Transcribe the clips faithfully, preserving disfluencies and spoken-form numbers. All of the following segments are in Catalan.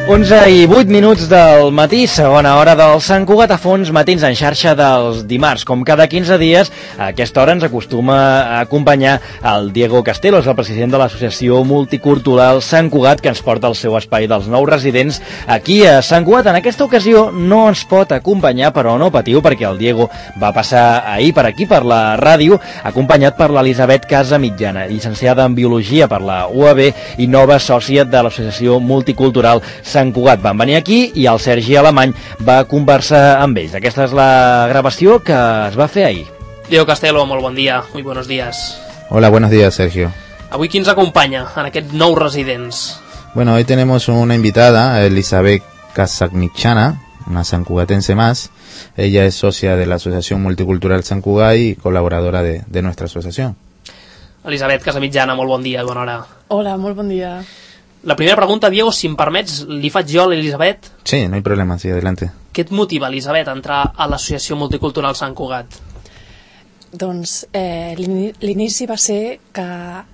onze i vuit minuts del matí, segona hora del Sant Cugat a Fons, matins en xarxa dels dimarts. Com cada quinze dies, a aquesta hora ens acostuma a acompanyar el Diego Castelos, el president de l'Associació Multicultural Sant Cugat, que ens porta al seu espai dels nous residents aquí a Sant Cugat. En aquesta ocasió no ens pot acompanyar, però no patiu, perquè el Diego va passar ahir per aquí, per la ràdio, acompanyat per l'Elisabet Casamitjana, llicenciada en Biologia per la U A B i nova sòcia de l'Associació Multicultural Sant Cugat. Van venir aquí i el Sergi Alemany va conversar amb ells. Aquesta és la gravació que es va fer ahir. Diego Castelo, molt bon dia, muy buenos días. Hola, buenos días, Sergio. Avui qui ens acompanya en aquests nous residents? Bueno, hoy tenemos una invitada, Elisabet Casamitjana, una sancugatense más. Ella es socia de la Asociación Multicultural Sant Cugat y colaboradora de, de nuestra asociación. Elisabet Casamitjana, molt bon dia, bona hora. Hola, molt bon dia. La primera pregunta, Diego, si em permets, li faig jo a l'Elisabet. Sí, no hay problema, sí, adelante. Què et motiva, Elisabet, a entrar a l'Associació Multicultural Sant Cugat? Doncs eh, l'inici va ser que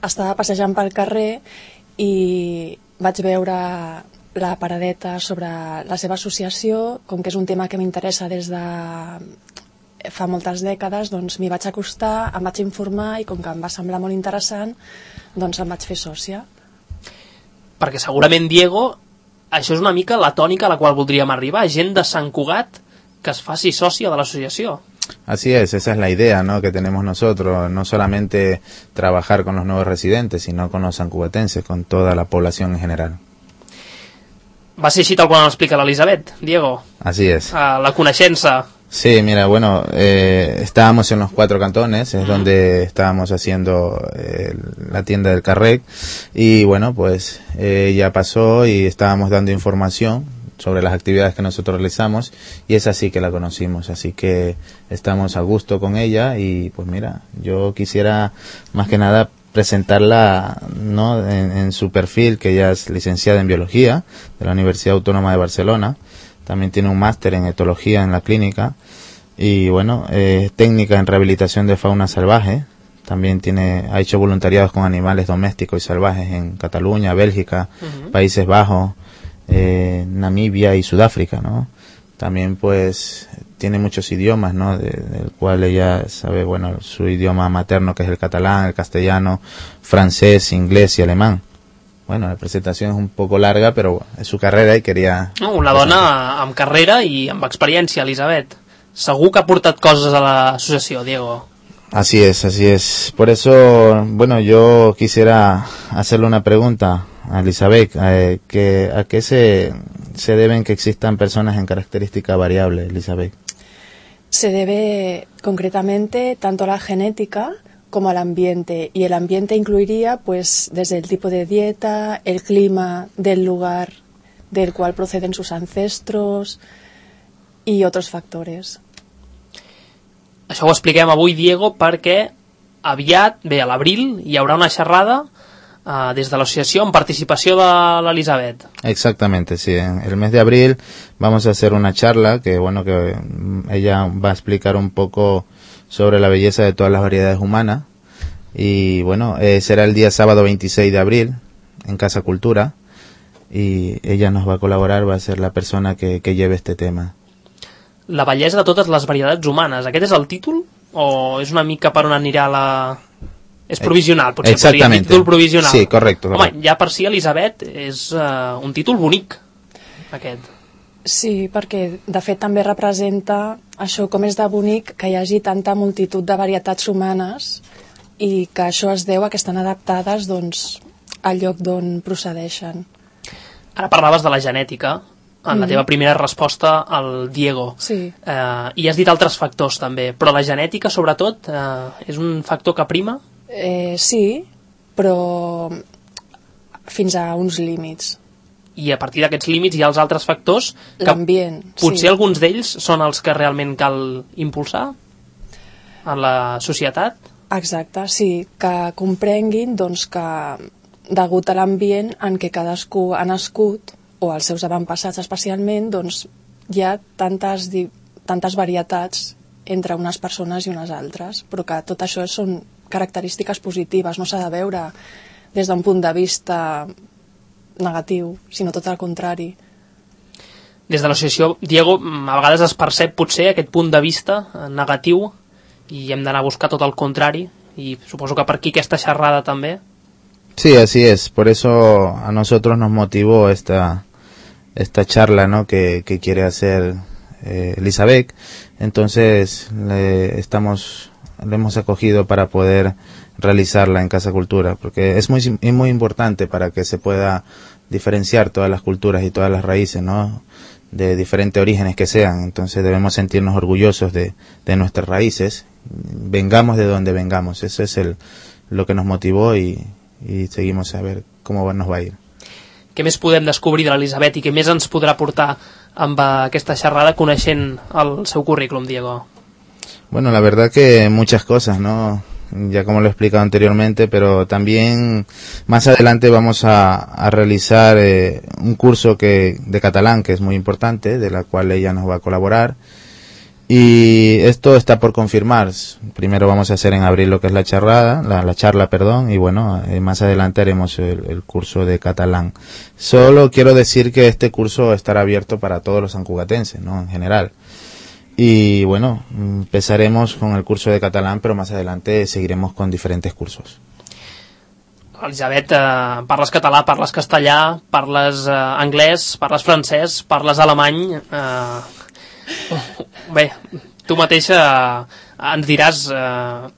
estava passejant pel carrer i vaig veure la paradeta sobre la seva associació. Com que és un tema que m'interessa des de fa moltes dècades, doncs m'hi vaig acostar, em vaig informar i com que em va semblar molt interessant, doncs em vaig fer sòcia. Perquè segurament, Diego, això és una mica la tònica a la qual voldríem arribar, gent de Sant Cugat que es faci sòcia de l'associació. Así es, esa es la idea, ¿no?, que tenemos nosotros, no solamente trabajar con los nuevos residentes, sino con los sancugatenses, con toda la población en general. Va ser així tal qual l'explica l'Elisabet, Diego? Así es. Uh, la coneixença. Sí, mira, bueno, eh, estábamos en los cuatro cantones, es uh-huh. donde estábamos haciendo eh, la tienda del Carrec, y bueno, pues eh, ya pasó y estábamos dando información sobre las actividades que nosotros realizamos, y es así que la conocimos, así que estamos a gusto con ella. Y pues mira, yo quisiera más que nada presentarla, ¿no?, en, en su perfil, que ella es licenciada en Biología de la Universidad Autónoma de Barcelona. También tiene un máster en etología en la clínica y bueno, eh, técnica en rehabilitación de fauna salvaje. También tiene, ha hecho voluntariados con animales domésticos y salvajes en Cataluña, Bélgica, uh-huh. Países Bajos, eh, Namibia y Sudáfrica, ¿no? También pues tiene muchos idiomas, ¿no?, de, del cual ella sabe, bueno, su idioma materno, que es el catalán, el castellano, francés, inglés y alemán. Bueno, la presentació és un poco larga, però és su carrera i quería... No, una dona amb carrera i amb experiència, Elisabet. Segur que ha portat coses a l'associació, Diego. Así es, así es. Por eso, bueno, yo quisiera hacerle una pregunta a Elisabet. Eh, que, ¿A qué se, se deben que existan personas en característica variable, Elisabet? Se debe concretamente tanto a la genética como al ambiente, y el ambiente incluiría pues desde el tipo de dieta, el clima del lugar del cual proceden sus ancestros y otros factores. Això ho expliquem avui, Diego, perquè aviat, bé, a l'abril, hi haurà una xerrada uh, des de l'associació en participació de l'Elisabet. Exactamente, sí. En el mes de abril vamos a hacer una charla que, bueno, que ella va a explicar un poco sobre la belleza de todas las variedades humanas, y bueno, eh, será el día sábado veintiséis de abril en Casa Cultura, y ella nos va a colaborar, va a ser la persona que, que lleve este tema. La bellesa de totes les varietats humanes, aquest és el títol? O és una mica per on anirà la... És provisional, potser podria dir títol provisional. Sí, correcto, correcto. Home, ja per si, Elisabet, és uh, un títol bonic, aquest. Sí, perquè de fet també representa això, com és de bonic que hi hagi tanta multitud de varietats humanes, i que això es deu a que estan adaptades, doncs, al lloc d'on procedeixen. Ara parlaves de la genètica en la teva primera resposta al Diego. Sí. Eh, I has dit altres factors també, però la genètica sobretot eh, és un factor que prima? Eh, sí, però fins a uns límits. I a partir d'aquests límits hi ha els altres factors que l'ambient, potser sí. Alguns d'ells són els que realment cal impulsar en la societat? Exacte, sí, que comprenguin doncs, que degut a l'ambient en què cadascú ha nascut, o els seus avantpassats especialment, doncs hi ha tantes, tantes varietats entre unes persones i unes altres, però que tot això són característiques positives, no s'ha de veure des d'un punt de vista negatiu, sinó tot el contrari. des de l'associació, Diego, a vegades es percep potser aquest punt de vista negatiu i hem d'anar a buscar tot el contrari, y supongo que per aquí esta xerrada también. Sí, así es. Por eso a nosotros nos motivó esta esta charla, ¿no? que, que quiere hacer eh, Elizabeth. Entonces le estamos le hemos acogido para poder realizarla en Casa Cultura, porque es muy es muy importante para que se pueda diferenciar todas las culturas y todas las raíces, ¿no? De diferentes orígenes que sean. Entonces debemos sentirnos orgullosos de, de nuestras raíces, vengamos de donde vengamos. Eso es el lo que nos motivó y, y seguimos a ver cómo nos va a ir. Què més podem descobrir de l'Elisabet i què més ens podrà portar amb aquesta xerrada coneixent el seu currículum, Diego? Bueno, la verdad que muchas cosas, ¿no? Ya como lo he explicado anteriormente, pero también más adelante vamos a, a realizar eh, un curso que de catalán que es muy importante, de la cual ella nos va a colaborar. Y esto está por confirmar. Primero vamos a hacer en abril lo que es la charrada, la, la charla, perdón, y bueno, eh, más adelante haremos el, el curso de catalán. Solo quiero decir que este curso estará abierto para todos los sancugatenses, ¿no? En general. Y bueno, empezaremos con el curso de catalán, pero más adelante seguiremos con diferentes cursos. Elisabet, eh, parles català, parles castellà, parles eh, anglès, parles francès, parles alemany... Eh, bé, tu mateixa eh, ens diràs... Eh,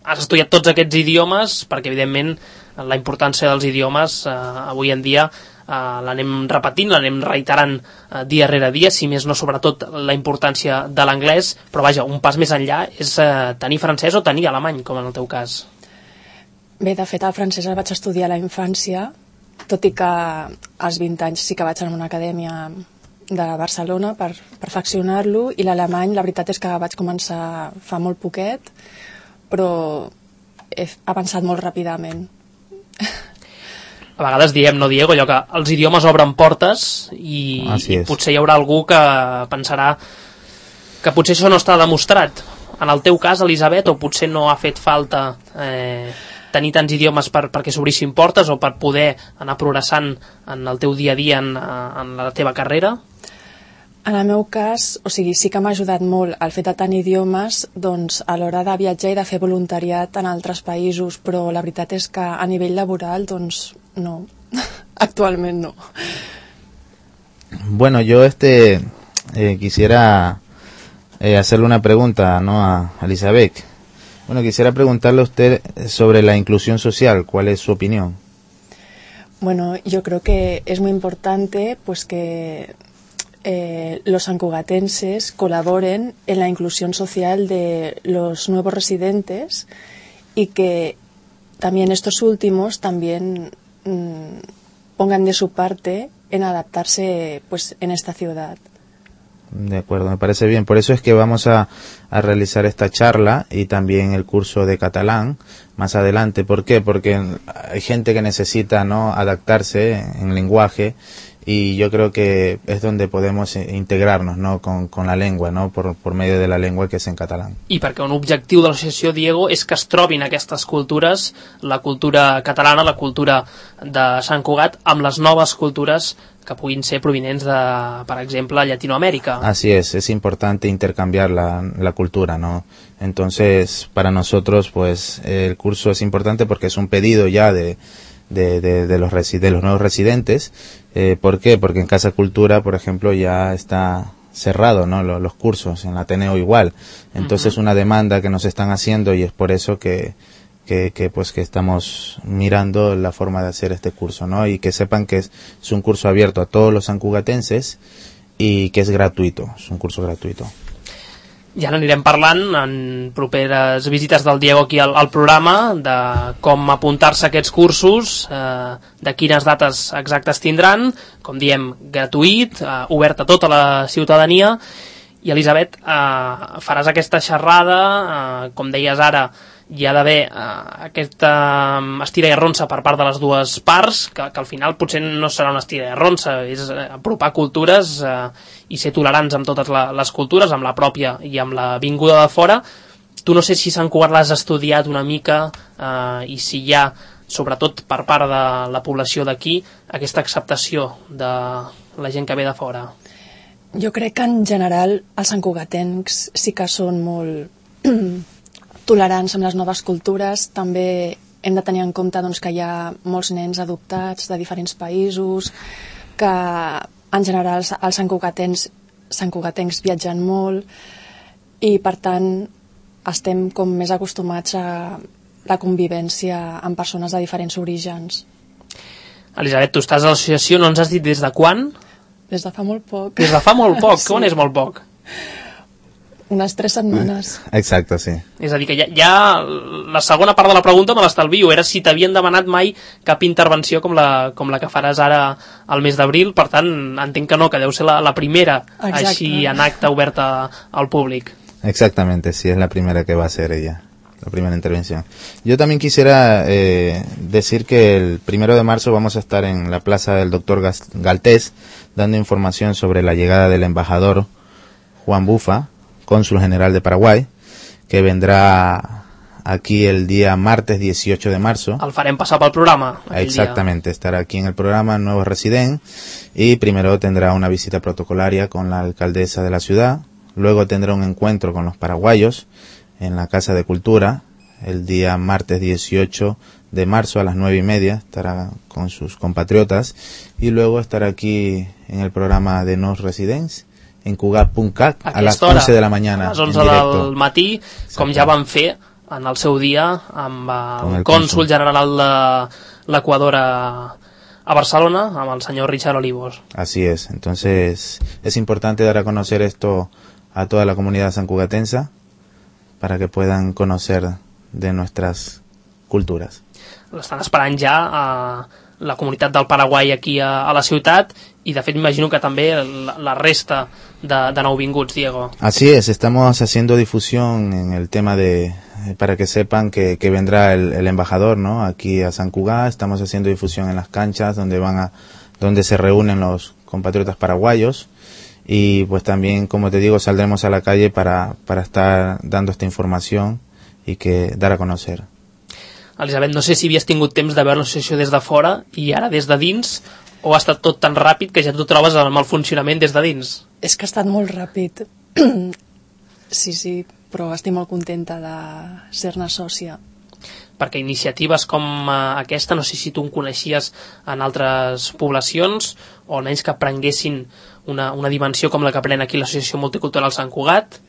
has estudiat tots aquests idiomes, perquè evidentment la importància dels idiomes eh, avui en dia Uh, l'anem repetint, l'anem reiterant uh, dia rere dia, si més no sobretot la importància de l'anglès, però vaja, un pas més enllà és uh, tenir francès o tenir alemany, com en el teu cas. Bé, de fet el francès el vaig estudiar a la infància, tot i que als vint anys sí que vaig anar a una acadèmia de Barcelona per perfeccionar-lo, i l'alemany la veritat és que vaig començar fa molt poquet, però he avançat molt ràpidament. A vegades diem, no, Diego, allò que els idiomes obren portes i, i potser hi haurà algú que pensarà que potser això no està demostrat. En el teu cas, Elisabet, o potser no ha fet falta eh, tenir tants idiomes per, perquè s'obrissin portes o per poder anar progressant en el teu dia a dia en, en la teva carrera? En el meu cas, o sigui, sí que m'ha ajudat molt el fet de tenir idiomes, doncs a l'hora de viatjar i de fer voluntariat en altres països, però la veritat és que a nivell laboral, doncs no, actualment no. Bueno, yo este eh, quisiera eh, hacerle una pregunta, ¿no? a Elisabet. Bueno, quisiera preguntarle a usted sobre la inclusión social. ¿Cuál es su opinión? Bueno, yo creo que es muy importante pues que eh, los sancugatenses colaboren en la inclusión social de los nuevos residentes y que también estos últimos también mmm, pongan de su parte en adaptarse pues en esta ciudad. De acuerdo, me parece bien. Por eso es que vamos a, a realizar esta charla y también el curso de catalán más adelante. ¿Por qué? Porque hay gente que necesita, ¿no?, adaptarse en lenguaje, y yo creo que es donde podemos integrarnos, ¿no?, con, con la lengua, ¿no?, por, por medio de la lengua que és en català. I perquè un objectiu de l'associació, Diego, és que es trobin aquestes cultures, la cultura catalana, la cultura de Sant Cugat, amb les noves cultures que puguin ser provinents de, per exemple, Llatinoamérica. Así es, es importante intercambiar la, la cultura, ¿no? Entonces, para nosotros, pues, el curso es importante porque es un pedido ya de De, de, de, los resi- de los nuevos residentes. Eh, ¿Por qué? Porque en Casa Cultura, por ejemplo, ya está cerrado, ¿no?, los, los cursos, en la Ateneo igual. Entonces, uh-huh. una demanda que nos están haciendo, y es por eso que, que, que, pues, que estamos mirando la forma de hacer este curso, ¿no? Y que sepan que es, es un curso abierto a todos los sancugatenses y que es gratuito, es un curso gratuito. Ja n'anirem parlant en properes visites del Diego aquí al, al programa, de com apuntar-se a aquests cursos, eh, de quines dates exactes tindran, com diem, gratuït, eh, obert a tota la ciutadania. I Elisabet, eh, faràs aquesta xerrada, eh, com deies ara, hi ha d'haver eh, aquesta estira i arronsa per part de les dues parts, que, que al final potser no serà una estira i arronsa, és apropar cultures eh, i ser tolerants amb totes la, les cultures, amb la pròpia i amb la vinguda de fora. Tu no sé si Sant Cugat l'has estudiat una mica eh, i si hi ha, sobretot per part de la població d'aquí, aquesta acceptació de la gent que ve de fora. Jo crec que en general els santcugatencs sí que són molt tolerants amb les noves cultures. També hem de tenir en compte doncs, que hi ha molts nens adoptats de diferents països, que en general els santcugatencs, santcugatencs viatgen molt i per tant estem com més acostumats a la convivència amb persones de diferents orígens. Elisabet, tu estàs a l'associació, no ens has dit des de quan? Des de fa molt poc. Des de fa molt poc? Sí. Com és molt poc? Unes tres setmanes. Exacte, sí. És a dir, que ja, ja la segona part de la pregunta me l'estalvio, era si t'havien demanat mai cap intervenció com la, com la que faràs ara al mes d'abril, per tant, entenc que no, que deu ser la, la primera. Exacte. Així en acte oberta al públic. Exactamente, sí, es la primera que va a hacer ella, la primera intervención. Yo también quisiera eh, decir que el primero de marzo vamos a estar en la plaza del doctor Galtés dando información sobre la llegada del embajador Juan Bufa, cónsul general de Paraguay, que vendrá aquí el día martes dieciocho de marzo. El farem passar pel programa. Exactamente, dia. Estará aquí en el programa Nuevo Resident y primero tendrá una visita protocolaria con la alcaldesa de la ciudad. Luego tendrá un encuentro con los paraguayos en la Casa de Cultura el día martes dieciocho de marzo a las nueve y media. Estará con sus compatriotas y luego estarà aquí en el programa de Nos Residents en Cugat punt cat a les onze de la mañana. A les onze del matí, com ja vam fer en el seu dia amb el, el cònsul general de l'Equador a, a Barcelona, amb el senyor Richard Olivos. Así es, entonces es importante dar a conocer esto a toda la comunidad sancugatensa para que puedan conocer de nuestras culturas. L'estan esperant ja a la comunitat del Paraguai aquí a, a la ciutat i de fet imagino que també la, la resta de, de nouvinguts, Diego. Así es, estamos haciendo difusión en el tema de, para que sepan que, que vendrá el, el embajador, ¿no? Aquí a San Cugat, estamos haciendo difusión en las canchas donde van a, donde se reúnen los compatriotas paraguayos. Y pues también, como te digo, saldremos a la calle para, para estar dando esta información y que dar a conocer. Elisabet, no sé si havies tingut temps de veure l'associació des de fora i ara des de dins, o ha estat tot tan ràpid que ja t'ho trobes amb el funcionament des de dins? És que ha estat molt ràpid. Sí, sí, però estic molt contenta de ser-ne sòcia. Perquè iniciatives com aquesta, no sé si tu en coneixies en altres poblacions, o almenys que prenguessin una, una dimensió com la que pren aquí l'Associació Multicultural Sant Cugat?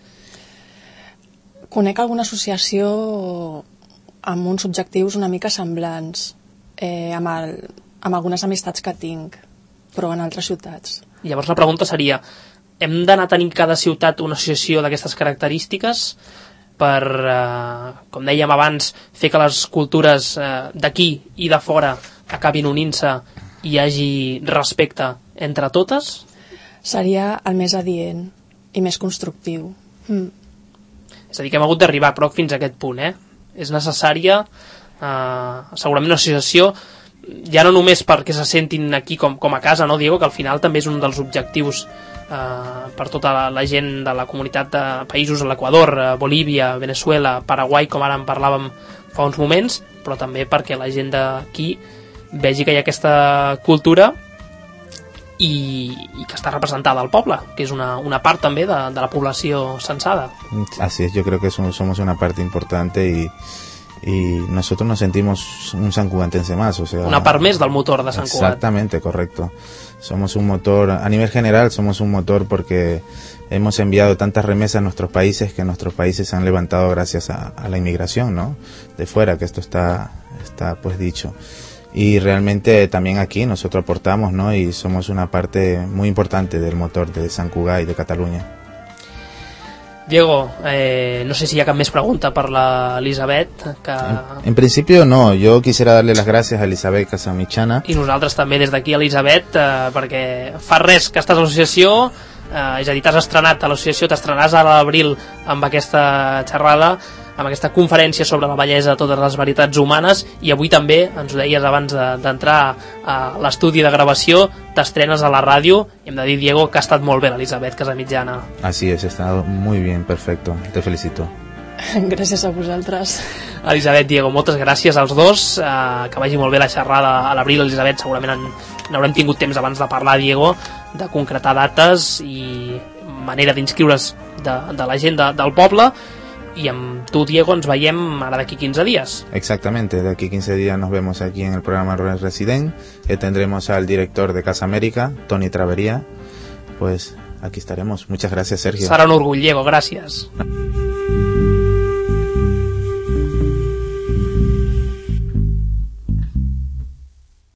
Conec alguna associació amb uns objectius una mica semblants, eh, amb, el, amb algunes amistats que tinc, però en altres ciutats. Llavors la pregunta seria, hem d'anar tenint cada ciutat una associació d'aquestes característiques per, eh, com dèiem abans, fer que les cultures eh, d'aquí i de fora acabin unint-se i hi hagi respecte entre totes? Seria el més adient i més constructiu. Mm. És a dir, que hem hagut d'arribar però fins a aquest punt, eh? És necessària eh, segurament una associació ja no només perquè se sentin aquí com, com a casa, no, Diego? Que al final també és un dels objectius eh, per tota la, la gent de la comunitat de països, l'Equador, eh, Bolívia, Venezuela, Paraguai, com ara en parlàvem fa uns moments, però també perquè la gent d'aquí vegi que hi ha aquesta cultura i, i que està representada al poble, que és una, una part també de, de la població censada. Así es, yo creo que somos, somos una parte importante y, y nosotros nos sentimos un sancugatense más, o sea, una part més del motor de Sant Cugat. Exactamente, correcto. Somos un motor, a nivel general somos un motor porque hemos enviado tantas remesas a nuestros países que nuestros países se han levantado gracias a, a la inmigración, ¿no? De fuera, que esto está, está pues dicho. Y realmente también aquí nosotros aportamos, ¿no? Y somos una parte muy importante del motor de Sant Cugat y de Cataluña. Diego, eh, no sé si hi ha cap més pregunta per l'Elisabet. Que... En, en principio no, yo quisiera darle las gracias a Elisabet Casamichana. I nosaltres també des d'aquí, Elisabet, eh, perquè fa res que estàs a l'associació, eh, és a dir, t'has estrenat a l'associació, t'estrenàs a l'abril amb aquesta xerrada, amb aquesta conferència sobre la bellesa de totes les varietats humanes, i avui també, ens ho deies abans d'entrar a l'estudi de gravació, t'estrenes a la ràdio, i hem de dir, Diego, que ha estat molt bé l'Elisabet Casamitjana. Así es, ha estado muy bien, perfecto, te felicito. Gràcies a vosaltres. Elisabet, Diego, moltes gràcies als dos, eh, que vagi molt bé la xerrada a l'abril. Elisabet, segurament n'haurem tingut temps abans de parlar, Diego, de concretar dates i manera d'inscriure's de, de la gent de, del poble. Y amb tu, Diego, ens veiem ara d'aquí quinze días. Exactamente, de aquí quince días nos vemos aquí en el programa Rural Resident, que tendremos al director de Casa América, Tony Travería. Pues aquí estaremos. Muchas gracias, Sergio. Serà un orgull, Diego, gràcies.